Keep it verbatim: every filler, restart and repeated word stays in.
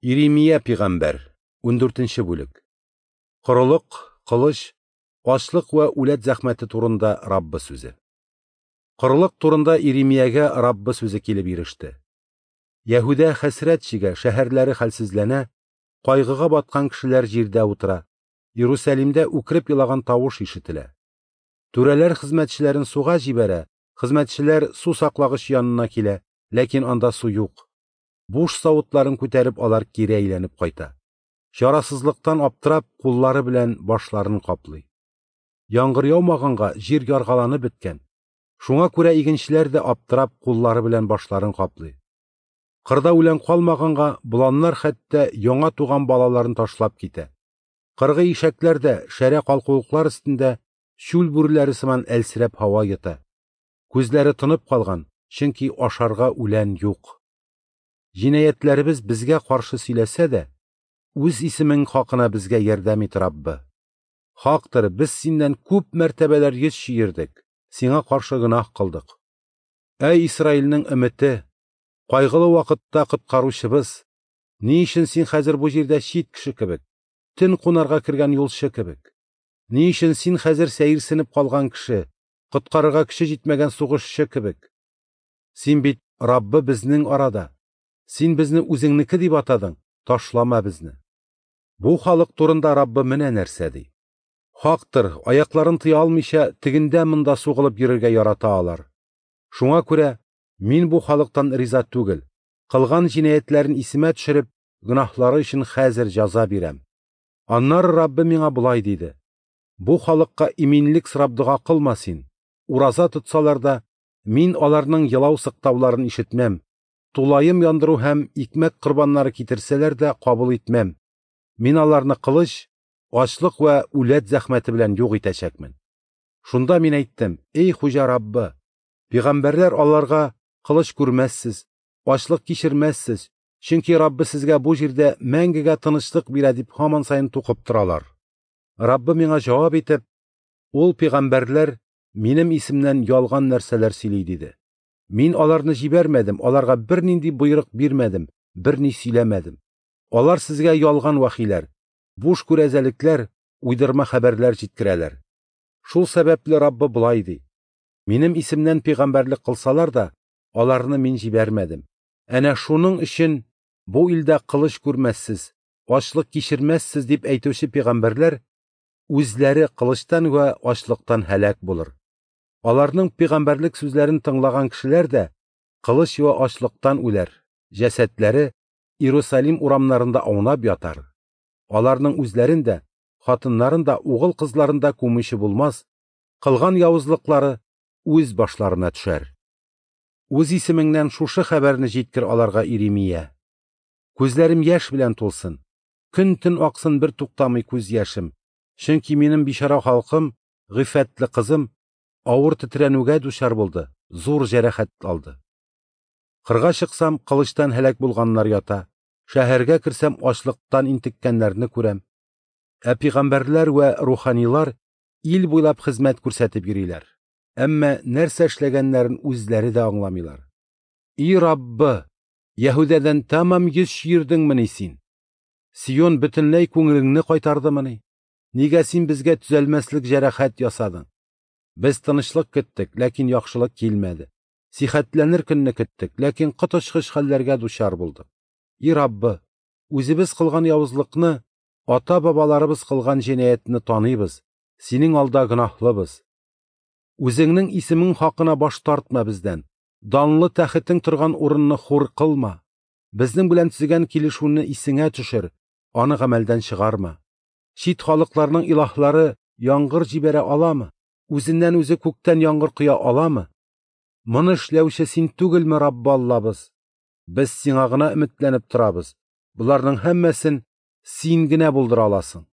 Иремия пәйгамбәр, ундүртенче бүлек. Корылык, кылыч, ачлык вә үләт зәхмәте турында Раббы сүзе. Корылык турында Иремиягә Раббы сүзе килеп иреште. Яһүдә хәсрәт чигә, шәһәрләре хәлсезләнә, кайгыга баткан кешеләр җирдә утыра, Иерусалимдә үкереп елаган тавыш ишетелә. Түрәләр хезмәтчеләрен суга җибәрә, хезмәтчеләр су саклагыч янына килә, ләкин анда су юк. Буш савытларын күтәреп алар кире әйләнеп кайта. Чарасызлыктан аптырап, куллары белән башларын каплый. Яңгыр яумаганга җир яргаланып беткән. Шуңа күрә игенчеләр дә аптырап, куллары белән башларын каплый. Кырда үлән калмаганга боланнар хәтта яңа туган балаларын ташлап китә. Кыргый ишәкләр дә шәрә калкулыклар өстендә чүл бүреләре сыман әлсерәп һава йота. Күзләре тынып калган, чөнки ашарга үлән юк. Җинаятьләребез безгә каршы сөйләсә дә, үз исемең хакына безгә ярдәм ит, Раббы. Хактыр, без синнән күп мәртәбәләр йөз чөердек, сиңа каршы гөнаһ кылдык. Әй Исраилнең өмете, кайгылы вакытта коткаручыбыз, ни өчен син хәзер бу җирдә чит кеше кебек, төн кунарга кергән юлчы кебек? Ни өчен син хәзер сәерсенеп калган кеше, коткарырга көче җитмәгән сугышчы кебек? Син бит Раббы безнең арада. Син безне үзеңнеке дип атадың, ташлама безне. Бу халык турында Раббы менә нәрсә ди. Хактыр, аякларын тыя алмыйча, тегендә монда сугылып йөрергә ярата алар. Шуңа күрә мин бу халыктан риза түгел. Кылган җинаятьләрен исемә төшереп, гөнаһлары өчен хәзер җәза бирәм. Аннары Раббы миңа болай диде: Бу халыкка иминлек сорап дога кылма син. Ураза тотсалар да, мин аларның елау сыктауларын ишетмәм. Тулаем яндыру һәм икмәк корбаннары китерсәләр дә кабул итмәм. Мин аларны кылыч, ачлык вә үләт зәхмәте белән юк итәчәкмен. Шунда мин әйттем: Эй Хуҗа Раббы, пәйгамбәрләр аларга кылыч күрмәссез, ачлык кичермәссез, чөнки Раббы сезгә бу җирдә мәңгегә тынычлык бирә дип һаман саен тукып торалар. Раббы миңа җавап итеп: Ул пәйгамбәрләр минем исемнән ялган нәрсәләр сөйли диде. Мин аларны җибәрмәдем, аларга бернинди боерык бирмәдем, берни сөйләмәдем. Алар сезгә ялган вахиләр, буш күрәзәлекләр, уйдырма хәбәрләр җиткерәләр. Шул сәбәпле Раббы болай ди: Минем исемнән пәйгамбәрлек кылсалар да, аларны мин җибәрмәдем. Әнә шуның өчен бу илдә кылыч күрмәссез, ачлык кичермәссез дип әйтүче пәйгамбәрләр үзләре кылычтан вә ачлыктан һәлак булыр. Аларның пәйгамбәрлек сүзләрен тыңлаган кешеләр дә кылыч вә ачлыктан үләр, җәсәдләре Иерусалим урамнарында аунап ятар. Аларның үзләрен дә, хатыннарын да, угыл кызларын да күмүче булмас, кылган явызлыклары үз башларына төшәр. Үз исемеңнән шушы хәбәрне җиткер аларга, Иремия. Күзләрем яшь белән тулсын, көн-төн аксын бер туктамый күз яшем, чөнки минем бичара халкым, гыйффәтле кызым, авыр тетрәнүгә дучар булды, зур җәрәхәт алды. Кырга чыксам, кылычтан һәлак булганнар ята, шәһәргә керсәм, ачлыктан интеккәннәрне күрәм. Ә пәйгамбәрләр вә руханилар ил буйлап хезмәт күрсәтеп йөриләр. Әмма нәрсә эшләгәннәрен үзләре дә аңламыйлар. И Раббы, Яһүдәдән тәмам йөз чөердеңмени син? Сион бөтенләй күңелеңне кайтардымыни? Нигә син безгә төзәлмәслек җәрәхәт ясадың? Без тынычлык көттек, ләкин яхшылык килмәде. Сихәтләнер көнне көттек, ләкин коточкыч хәлләргә дучар булдык. И Раббы, үзебез кылган явызлыкны, ата-бабаларыбыз кылган җинаятьне таныйбыз, синең алда гөнаһлыбыз. Үзеңнең исемең хакына баш тартма бездән, данлы тәхетең торган урынны хур кылма. Безнең белән төзегән килешүне исеңә төшер, аны гамәлдән чыгарма. Чит халыкларның илаһлары яңгыр җибәрә аламы? Үзеннән үзе күктән яңгыр коя аламы? Моны эшләүче син түгелме, Раббы Аллабыз? Без сиңа гына өметләнеп торабыз. Боларның һәммәсен син генә булдыра аласың.